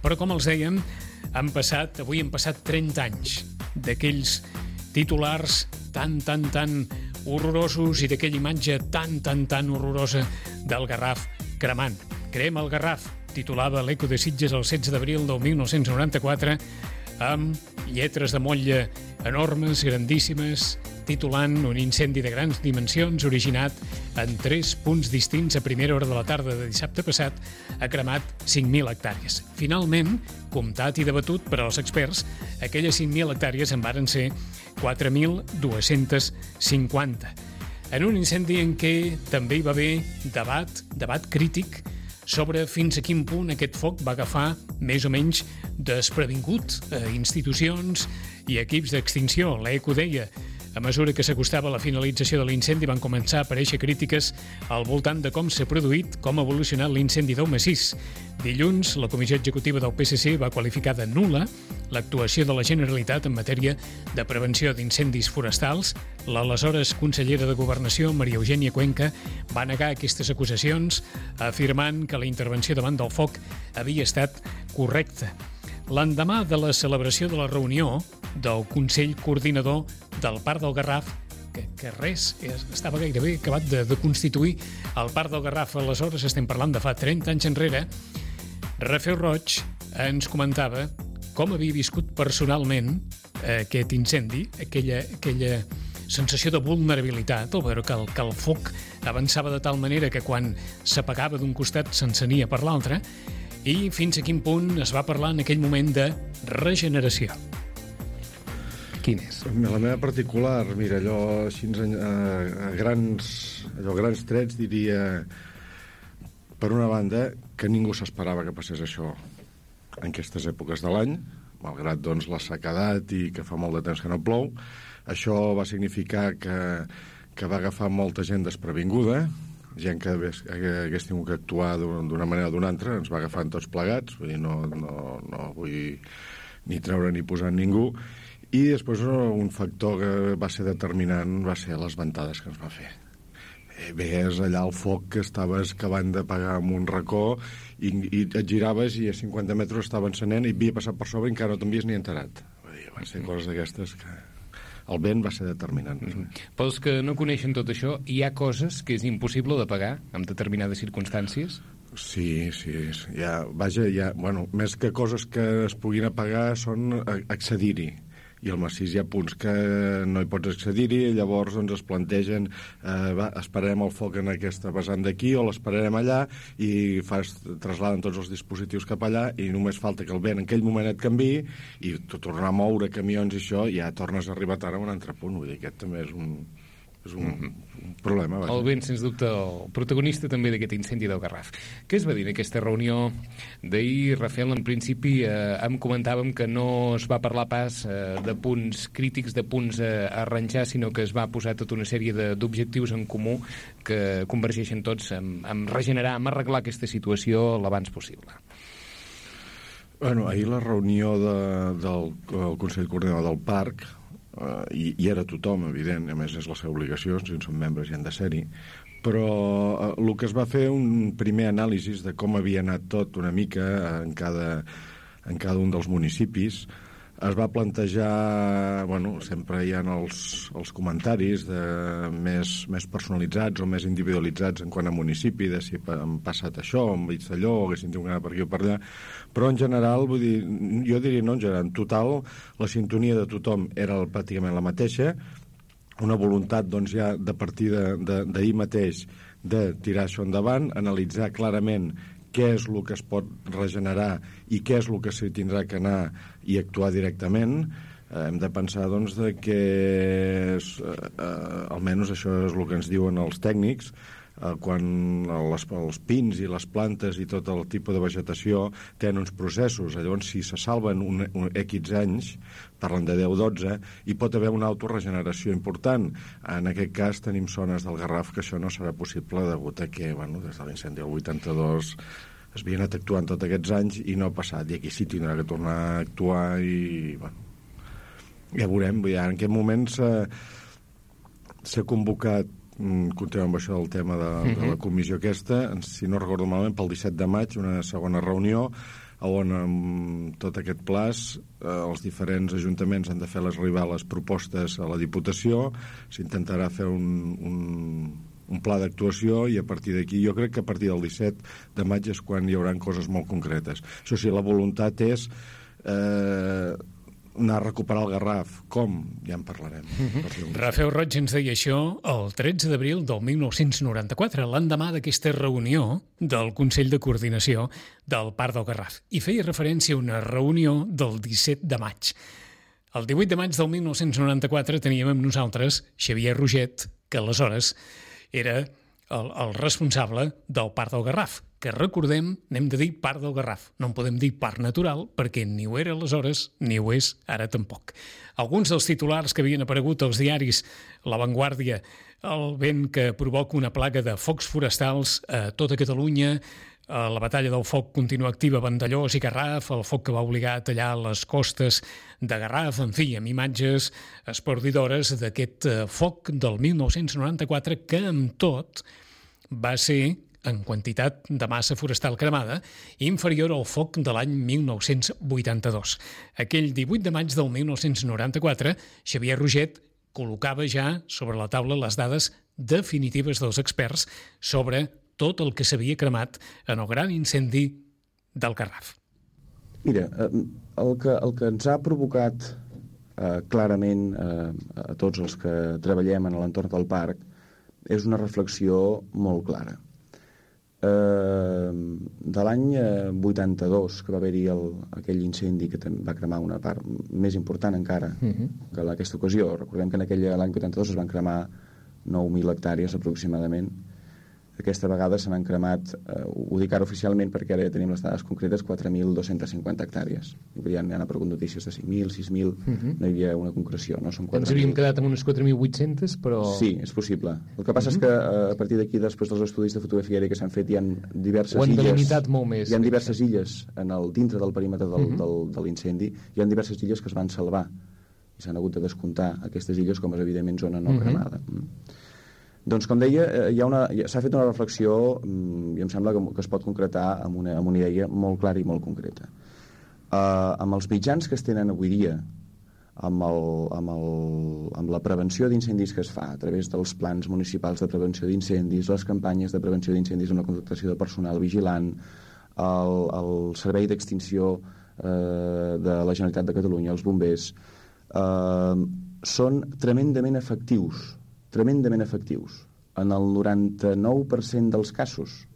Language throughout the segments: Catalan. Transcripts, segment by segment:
Però, com els dèiem, avui han passat 30 anys d'aquells titulars tan horrorosos i d'aquella imatge tan horrorosa del Garraf cremant. Crema el Garraf, titulava l'Eco de Sitges el 16 d'abril del 1994, amb lletres de motlle enormes, grandíssimes, titulant un incendi de grans dimensions originat en 3 punts distints a primera hora de la tarda de dissabte passat, ha cremat 5.000 hectàrees. Finalment, comptat i debatut per als experts, aquelles 5.000 hectàrees en varen ser 4.250. En un incendi en què també hi va haver debat crític sobre fins a quin punt aquest foc va agafar més o menys desprevingut institucions i equips d'extinció. L'ECO deia: a mesura que s'acostava la finalització de l'incendi van començar a aparèixer crítiques al voltant de com s'ha produït, com ha evolucionat l'incendi del Massís. Dilluns, la Comissió Executiva del PSC va qualificar de nul·la l'actuació de la Generalitat en matèria de prevenció d'incendis forestals. L'aleshores consellera de Governació, Maria Eugènia Cuenca, va negar aquestes acusacions, afirmant que la intervenció davant del foc havia estat correcta. L'endemà de la celebració de la reunió del Consell Coordinador del Parc del Garraf, que res, estava gairebé acabat de constituir el Parc del Garraf, aleshores estem parlant de fa 30 anys enrere, Rafel Roig ens comentava com havia viscut personalment aquest incendi, aquella sensació de vulnerabilitat, al veure que el foc avançava de tal manera que quan s'apagava d'un costat s'encenia per l'altre, i fins a quin punt es va parlar en aquell moment de regeneració. Quin és? La meva particular, mira, allò així a grans trets diria, per una banda, que ningú s'esperava que passés això en aquestes èpoques de l'any, malgrat doncs la sequedat i que fa molt de temps que no plou. Això va significar que va agafar molta gent desprevinguda, gent que hagués tingut que actuar d'una manera o d'una altra, ens va agafant tots plegats, vull dir, no vull ni treure ni posar ningú. I després un factor que va ser determinant va ser les ventades que ens va fer. Veies allà el foc que estaves acabant d'apagar en un racó i et giraves i a 50 metres estava encenent i havia passat per sobre i encara no t'havies ni enterat. Vull dir, van ser coses d'aquestes que el vent va ser determinant. Pels que no coneixen tot això, hi ha coses que és impossible de pagar en determinades circumstàncies? Sí. Més que coses que es puguin apagar són accedir-hi. I al Massís hi ha punts que no hi pots accedir-hi, llavors doncs, es plantegen esperarem el foc en aquesta vessant d'aquí o l'esperarem allà i trasladen tots els dispositius cap allà i només falta que el vent en aquell moment et canviï i tornar a moure camions i això ja tornes a arribar tard a un altre punt. Vull dir, aquest també és un problema. Vaja. El vent, sens dubte, el protagonista també d'aquest incendi del Garraf. Què es va dir en aquesta reunió d'ahir, Rafel? En principi em comentàvem que no es va parlar pas de punts crítics, de punts a arranjar, sinó que es va posar tota una sèrie d'objectius en comú que convergeixen tots en regenerar, en arreglar aquesta situació l'abans possible. Bueno, ahir la reunió del Consell Coordinador del Parc i era tothom, evident, a més és la seva obligació, si en són membres i han de ser-hi, però el que es va fer un primer anàlisi de com havia anat tot una mica en cada un dels municipis. Es va plantejar, sempre hi ha els comentaris més personalitzats o més individualitzats en quant a municipi, de si han passat això, han vist allò, o haguessin tingut per aquí o per allà, però en general, vull dir, jo diria no en general, en total, la sintonia de tothom era pràcticament la mateixa, una voluntat doncs ja de partir d'ahir mateix de tirar això endavant, analitzar clarament què és el que es pot regenerar i què és el que s'hi tindrà que anar i actuar directament. Hem de pensar doncs, que almenys això és el que ens diuen els tècnics, quan els pins i les plantes i tot el tipus de vegetació tenen uns processos, llavors si se salven un X anys, parlen de 10-12, hi pot haver una autoregeneració important. En aquest cas tenim zones del Garraf que això no serà possible degut a que des de l'incendi del 82 es havia anat actuant tots aquests anys i no ha passat, i aquí sí tindrà que tornar a actuar i ja veurem. En aquest moment s'ha convocat, continuem amb això del tema de la comissió aquesta, si no recordo malament, pel 17 de maig, una segona reunió. on amb tot aquest plaç els diferents ajuntaments han de fer arribar les propostes a la Diputació, s'intentarà fer un pla d'actuació i a partir d'aquí, jo crec que a partir del 17 de maig és quan hi haurà coses molt concretes. Això sí, la voluntat és anar a recuperar el Garraf. Com? Ja en parlarem. Rafael Roig ens deia això el 13 d'abril del 1994, l'endemà d'aquesta reunió del Consell de Coordinació del Parc del Garraf. I feia referència a una reunió del 17 de maig. El 18 de maig del 1994 teníem amb nosaltres Xavier Roget, que aleshores era el responsable del Parc del Garraf, que recordem, n'hem de dir Parc del Garraf. No en podem dir Parc Natural, perquè ni ho era aleshores, ni ho és ara tampoc. Alguns dels titulars que havien aparegut als diaris, La Vanguardia, el vent que provoca una plaga de focs forestals a tota Catalunya, la batalla del foc continua activa a Vandellòs i Garraf, el foc que va obligar a tallar les costes de Garraf, en fi, amb imatges espordidores d'aquest foc del 1994 que, amb tot, va ser, en quantitat de massa forestal cremada, inferior al foc de l'any 1982. Aquell 18 de maig del 1994, Xavier Roget col·locava ja sobre la taula les dades definitives dels experts sobre tot el que s'havia cremat en el gran incendi del Garraf. Mira, el que ens ha provocat clarament a tots els que treballem en l'entorn del parc és una reflexió molt clara. De l'any 82, que va haver-hi aquell incendi que va cremar una part més important encara que en aquesta ocasió. Recordem que l'any 82 es van cremar 9.000 hectàrees aproximadament. Aquesta vegada se n'han cremat, ho dic ara oficialment perquè ara ja tenim les dades concretes, 4.250 hectàrees. Ja han aparegut notícies de 5.000, 6.000, no hi havia una concreció. No? Ens havíem quedat amb unes 4.800, però... Sí, és possible. El que passa és que a partir d'aquí, després dels estudis de fotografia aèria que s'han fet, hi ha diverses illes... Ho han delimitat molt més. Hi ha diverses illes dintre del perímetre de l'incendi, hi ha diverses illes que es van salvar i s'han hagut de descomptar aquestes illes com és evidentment zona no cremada. Doncs, com deia, s'ha fet una reflexió i em sembla que es pot concretar amb una idea molt clara i molt concreta. Amb els mitjans que es tenen avui dia, amb la prevenció d'incendis que es fa a través dels plans municipals de prevenció d'incendis, les campanyes de prevenció d'incendis amb la contractació de personal vigilant, el servei d'extinció de la Generalitat de Catalunya, els bombers, són tremendament efectius en el 99% dels casos.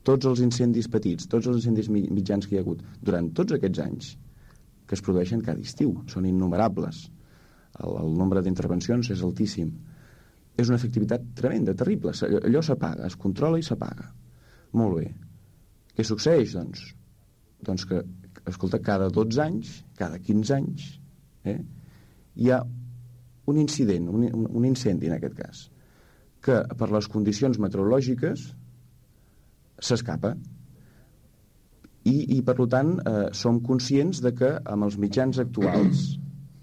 Tots els incendis petits, tots els incendis mitjans que hi ha hagut durant tots aquests anys que es produeixen cada estiu, són innumerables. El nombre d'intervencions és altíssim. És una efectivitat tremenda, terrible. Allò s'apaga, es controla i s'apaga. Molt bé. Què succeeix, doncs? Doncs que, escolta, cada 12 anys, cada 15 anys, hi ha un incident, un incendi en aquest cas, que per les condicions meteorològiques s'escapa i per tant som conscients de que amb els mitjans actuals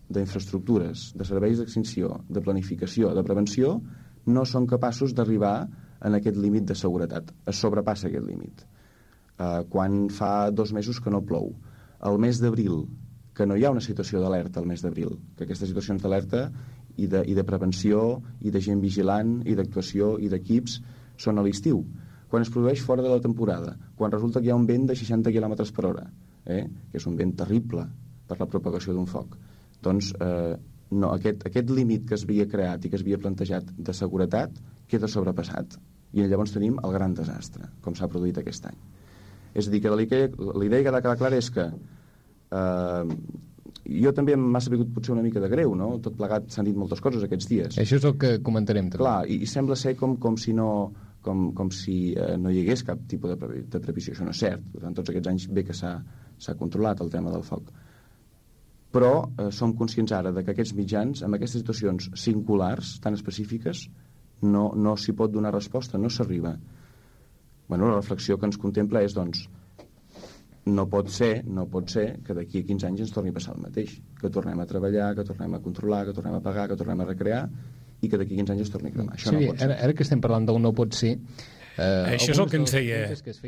d'infraestructures, de serveis d'extinció, de planificació, de prevenció, no són capaços d'arribar en aquest límit de seguretat. Es sobrepassa aquest límit. Quan fa 2 mesos que no plou, el mes d'abril, que no hi ha una situació d'alerta al mes d'abril, que aquestes situacions d'alerta i de prevenció, i de gent vigilant, i d'actuació, i d'equips, són a l'estiu. Quan es produeix fora de la temporada, quan resulta que hi ha un vent de 60 km per hora, que és un vent terrible per la propagació d'un foc, doncs no, aquest límit que es havia creat i que es havia plantejat de seguretat queda sobrepassat. I llavors tenim el gran desastre, com s'ha produït aquest any. És a dir, que la idea que ha de quedar clara és que jo també m'ha sabut potser una mica de greu, no? Tot plegat s'han dit moltes coses aquests dies. Això és el que comentarem també. Clar, i sembla ser com si no hi hagués cap tipus de previsió. Això no és cert. Durant tots aquests anys bé que s'ha controlat el tema del foc. Però som conscients ara de que aquests mitjans, amb aquestes situacions singulars, tan específiques, no s'hi pot donar resposta, no s'arriba. Bueno, la reflexió que ens contempla és, doncs, no pot ser que d'aquí a 15 anys ens torni a passar el mateix, que tornem a treballar, que tornem a controlar, que tornem a pagar, que tornem a recrear i que d'aquí a 15 anys es torni a cremar. Això no pot ser. Ara que estem parlant del no pot ser... Això és el que ens deia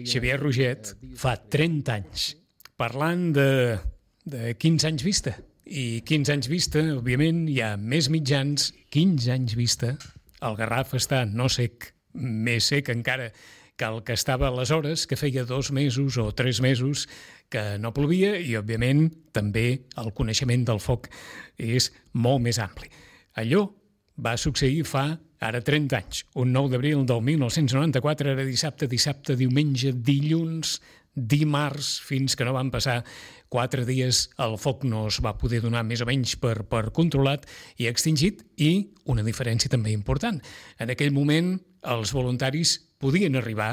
Xavier Roget fa 30 anys. parlant de 15 anys vista. I 15 anys vista, òbviament, hi ha més mitjans, 15 anys vista. El Garraf està no sec, més sec encara que el que estava aleshores, que feia 2 mesos o 3 mesos que no plovia, i, òbviament, també el coneixement del foc és molt més ampli. Allò va succeir fa ara 30 anys, un 9 d'abril del 1994, era dissabte, diumenge, dilluns, dimarts, fins que no van passar 4 dies, el foc no es va poder donar més o menys per controlat i extingit, i una diferència també important. En aquell moment, els voluntaris podien arribar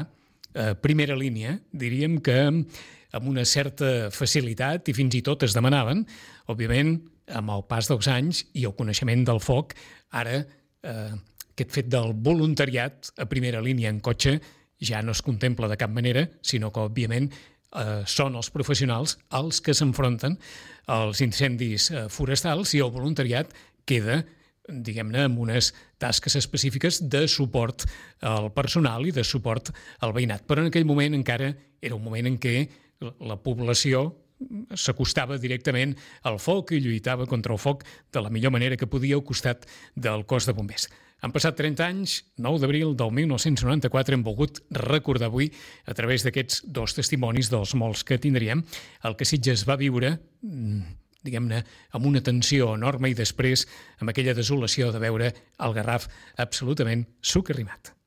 a primera línia, diríem que amb una certa facilitat, i fins i tot es demanaven, òbviament, amb el pas dels anys i el coneixement del foc, ara aquest fet del voluntariat a primera línia en cotxe ja no es contempla de cap manera, sinó que, òbviament, són els professionals els que s'enfronten als incendis forestals, i el voluntariat queda, diguem-ne, amb unes tasques específiques de suport al personal i de suport al veïnat. Però en aquell moment encara era un moment en què la població s'acostava directament al foc i lluitava contra el foc de la millor manera que podia al costat del cos de bombers. Han passat 30 anys, 9 d'abril del 1994, hem volgut recordar avui, a través d'aquests 2 testimonis dels molts que tindríem, el que Sitges va viure, diguem-ne, amb una tensió enorme, i després amb aquella desolació de veure el Garraf absolutament socarrimat.